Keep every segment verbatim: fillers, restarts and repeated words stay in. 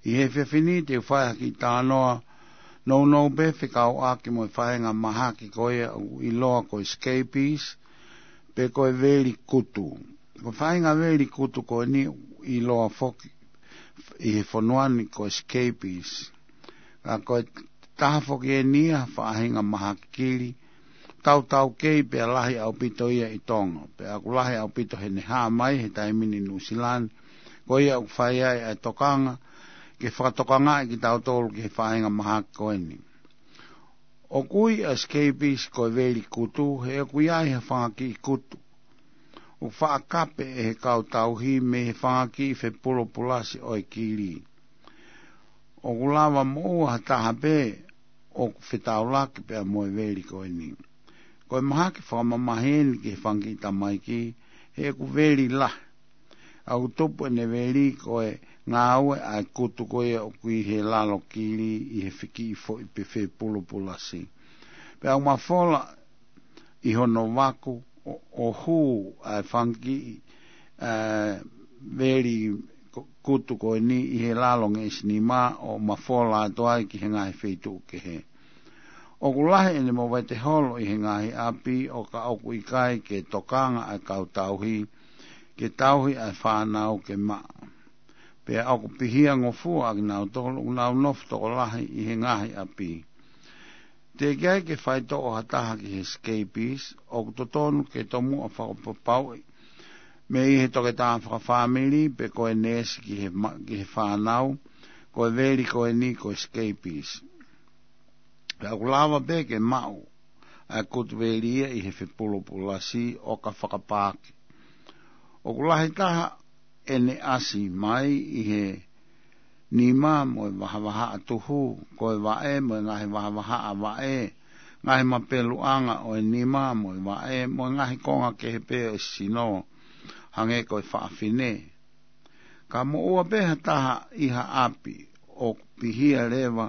ʻI he efiafi ni te u fai ha kiʻi talanoa nounou pē fekauʻaki mo e faʻahinga mahaki ko ia ʻoku ʻiloa ko e scabies, pe ko e veli kutu. Ko e faʻahinga veli kutu ko eni ʻoku ʻiloa foki ʻi he fonua ni ko e scabies. Ka ko e taha foki eni ia ha faʻahinga mahaki kili tautautefito pea lahi ʻaupito ia ʻi Tonga. Pea ʻoku lahi ʻaupito heʻene hā mai he taimi ni ʻi Nuʻusila ni, ko ia ʻoku fai ai ʻa e tokanga ke fakatokangaʻi kitautolu ki he faʻahinga mahaki ko eni. ʻOku ui ʻa e scabies ko e veli kutu, he ʻoku ʻi ai ha fanga kiʻi kutu ʻoku faʻa kape ʻe he kau tauhi mei he fanga kiʻi fepulopulasi ʻo e kili. ʻOku lava moʻua ha taha pē ʻoku fetaulaki pea mo e veli ko eni. Ko e mahaki fakamamahi eni ki he fanga kiʻi tamaiki, he ʻoku veli lahi. ʻOku tupu ʻene veli ko e ngāue ʻa e kutu ko ia ʻoku ʻi he lalo kili ʻi he fiki foʻi pe fepulopulasi. Pea ʻoku mafola ʻi hono vaku ʻo, ʻo hū ʻa e fanga kiʻi, ē, veli ku-, kutu ko eni ʻi he lalo ngeʻesi nima ʻo mafola atu ai ki he ngaahi feituʻu kehe. ʻOku lahi ʻene movete holo ʻi he ngaahi ʻapi ʻo ka ʻoku ʻikai ke tokanga ʻa e kau tauhi ke tauhi ʻa e fānau ke maʻa. Pea ʻoku pihia ngofua ʻa kinautolu ʻoku nau nofo tokolahi ʻi he ngaahi ʻapi. Teʻeki ai ke faitoʻo ha taha ki he scabies, ʻoku totonu ke tomuʻa fakapapauʻi mei he toketā fakafāmili pe ko e neesi ki he ma-, ki he fānau, ko e veli ko eni ko e scabies. Pea ʻoku lava pē ke maʻu ʻa e kutu veli ia ʻi he fepulopulasi ʻo ka fakapaaki. ʻOku lahi taha ʻene ʻasi mai ʻi he nima mo e vahavahaʻa tuhu, ko e vaʻe mo e ngaahi vahavahaʻa vaʻe, ngaahi mapeluʻanga ʻo e nima mo e vaʻe, mo e ngaahi konga kehe pē ʻo e sino, hangē ko e faʻafine. Ka moʻua pē ha taha ʻi ha ʻapi ʻoku pihia leva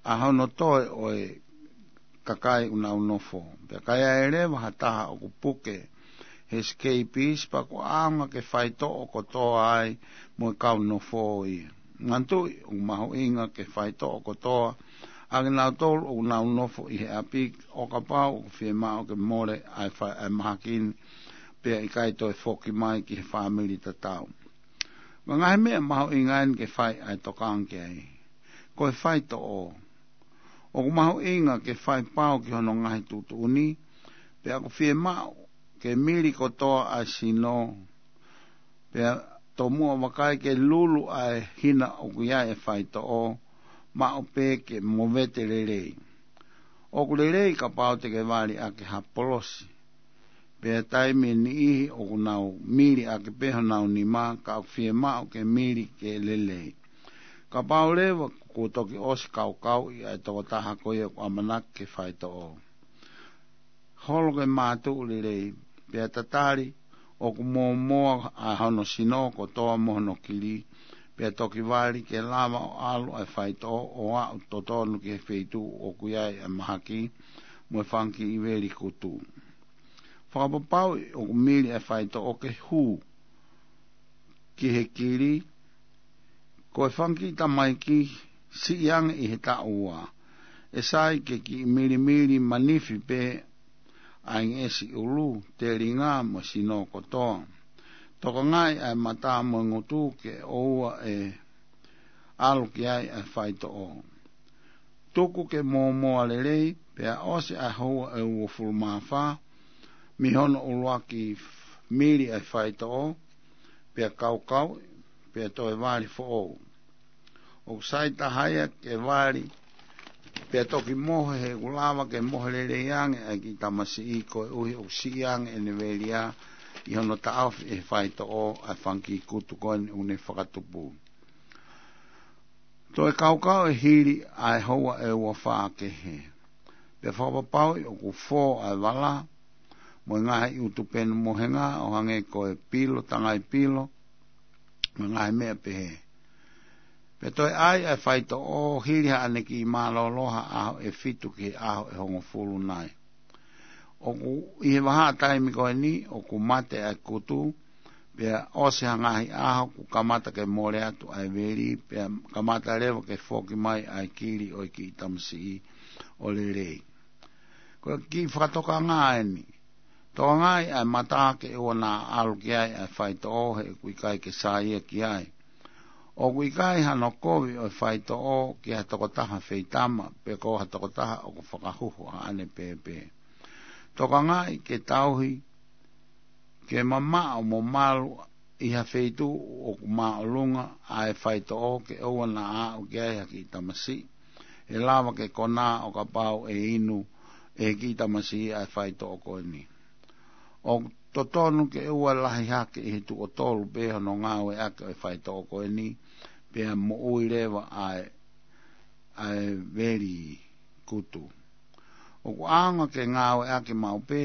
ʻa hono toe ʻo e kakai ʻoku nau nofo. Pea ka ʻi ai leva ha taha ʻoku puke he scabies, pea ʻoku ʻaonga ke faitoʻo kotoa ai mo e kau nofo ia. Manatuʻi ʻoku mahuʻinga ke faitoʻo kotoa ʻa kinautolu ʻoku nau nofo ʻi he ʻapi ʻo kapau ʻoku fiemaʻu ke mole ʻa e fai ʻa e mahaki ni pea ʻikai toe foki mai ki he fāmili tatau. Ko e ngaahi meʻa mahuʻinga eni ke fai ʻa e tokanga ki ai. Ko e faitoʻo. ʻOku mahuʻinga ke fai pau ki hono ngaahi tuʻutuʻuni, pea ʻoku fiemaʻu ke mili kotoa ʻa e sino, pea tomuʻa vakai ke lulu ʻa e hina ʻoku ʻi ai e faitoʻo, maʻu pē ke movete lelei. ʻOku lelei kapau te ke vali ʻaki ha polosi. Pea taimi ʻe niʻihi ʻoku nau mili ʻaki pē honau nima, ka ʻoku fiemaʻu ke mili ke lelei. Kapau leva kuo toki ʻosi kaukauʻi ʻa e tokotaha ko ia ʻoku ʻamanaki ke faitoʻo, holo ke mātuʻu lelei, pea tatali ʻoku mōmoa ʻa hono sino kotoa mo hono kili, pea toki vali ke lava ʻo ʻalu ʻa e faitoʻo ʻo aʻu totonu ki he feituʻu ʻoku ʻi ai ʻa e mahaki mo e fanga kiʻi veli kutu. Fakapapauʻi ʻoku mili ʻa e faitoʻo ke hū ki he kili. Ko e fanga kiʻi tamaiki siʻi ange ʻi he taʻu ua, ʻe sai ke kiʻi milimili manifi pē ʻa e ngeʻesi ʻulu, telinga mo e sino kotoa. Tokangaʻi ʻa e mata mo e ngutu ke ʻoua ʻe ʻalu ki ai ʻa e faitoʻo. Tuku ke mōmoa lelei, pea ʻosi ʻa e houa ʻe uofulu mā fā mei hono ʻuluaki mili ʻa e faitoʻo, pea kaukauʻi, pea toe vali foʻou. ʻOku sai taha ia ke vali pea toki mohe, he ʻoku lava ke mohe lelei ange ʻa e kiʻi tamasiʻi koeʻuhi ʻoku siʻi ange ʻene veli ia ʻi hono taʻofi ʻe he faitoʻo ʻa e fanga kiʻi kutu ko eni ʻoku ne fakatupu. Toe kaukauʻi hili ʻa e houa ʻe ua fā kehe. Pea fakapapauʻi ʻoku fō ʻa e vala mo e ngaahi ʻutu penu mohenga ʻo hangē ko e pilo, tangai pilo, mo e ngaahi meʻa pehē. Pea toe ʻai ʻa e faitoʻo hili haʻane kiʻi mālōlō ha ʻaho ʻe fitu ki he ʻaho ʻe hongofulu nai. ʻOku ʻi he vahaʻa taimi ko eni ʻoku mate ʻa e kutu, Pea ʻosi ha ngaahi ʻaho kuo kamata ke mole atu ʻa e veli, pea kamata leva ke foki mai ʻa e kili ʻo e kiʻi tamasiʻi ʻo lelei. Ko e kiʻi fakatokanga eni. Tokangaʻi ʻa e mata ke ʻoua naʻa ʻalu ki ai ʻa e faitoʻo he ʻoku ʻikai ke saiʻia ki ai. ʻOku ʻikai hano kovi ʻo e faitoʻo ki ha tokotaha feitama, pe ko ha tokotaha ʻoku fakahuhu haʻane pēpē. Tokangaʻi ke tauhi ke mamaʻo mo malu ʻi ha feituʻu ʻoku māʻolunga ʻa e faitoʻo ke ʻoua naʻa aʻu ki ai ha kiʻi tamasiʻi ʻe lava ke konā ʻo kapau ʻe inu ʻe he kiʻi tamasiʻi ʻa e faitoʻo ko eni. ʻOku totonu ke ʻoua lahi hake ʻi he tuʻo tolu pē hono ngāueʻaki ʻo e faitoʻo ko eni, pea moʻui leva ʻa e, ʻa e veli kutu. ʻOku ʻaonga ke ngāueʻaki maʻu pē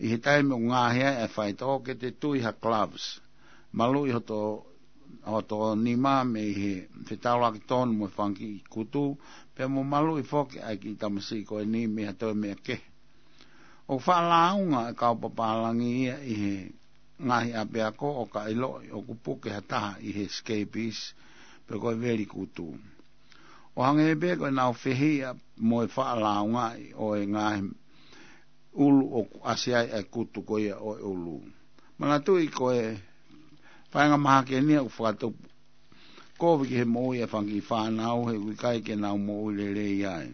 ʻi he taimi ʻoku ngaohi ai ʻa e faitoʻo, ke te tui ha gloves. Maluʻi hoto, hoto nima mei he fetaulaki tonu mo e fanga kiʻi kutu, pea mo maluʻi foki ʻa e kiʻi tamasiʻi ko eni mei ha toe meʻa kehe. ʻOku faʻa lāunga e kau papālangi ia ʻi he ngaahi ʻapiako ʻo ka ʻiloʻi ʻoku puke ha taha ʻi he scabies pe ko e veli kutu. ʻO hangē pē ko ʻenau fehiʻa mo e faʻa lāungaʻi ʻo e ngaahi ʻulu ʻoku ʻasi ai ʻa e kutu ko ia ʻo e ʻulu. Manatuʻi ko e faʻahinga mahaki eni ia ʻoku fakatupu kovi ki he moʻui ʻa e fanga kiʻi fānau he ʻoku ʻikai ke nau moʻui lelei ai.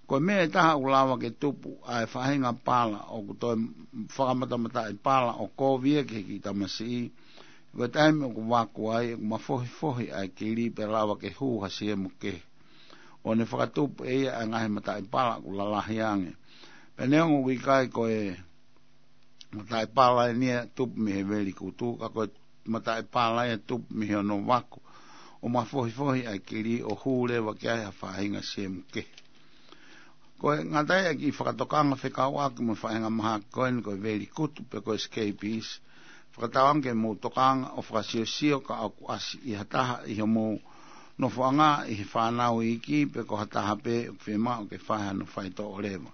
Ko e meʻa ʻe taha ʻoku lava ke tupu ʻa e faʻahinga pala ʻoku toe fakamatamaʻi pala ʻo kovi ia ki he kiʻi tamasiʻi. Ko e taimi ʻoku vaku ai, ʻoku mafohifohi ʻa e kili pea lava ke hū ha siemu kehe. ʻO ne fakatupu ʻe ia ʻa e ngaahi mataʻi pala ʻoku lalahi ange. Pea neongo ʻoku ʻikai ko e mataʻi pala eni ia tupu mei he veli kutu, ka ko e mataʻi pala ia tupu mei hono vaku ʻo mafohifohi ʻa e kili ʻo hū leva ki ai ha faʻahinga siemu kehe. Ko e ngata ia e kiʻi fakatokanga fekauʻaki mo e faʻahinga mahaki ko eni ko e veli kutu pe ko e scabies. Fakatauange ke mou tokanga ʻo fakasiosio ka ʻoku ʻasi ʻi ha taha ʻi homou nofoʻanga ʻi he fānau iiki pe ko ha taha pē ʻoku fiemaʻu ke fai hano faitoʻo leva.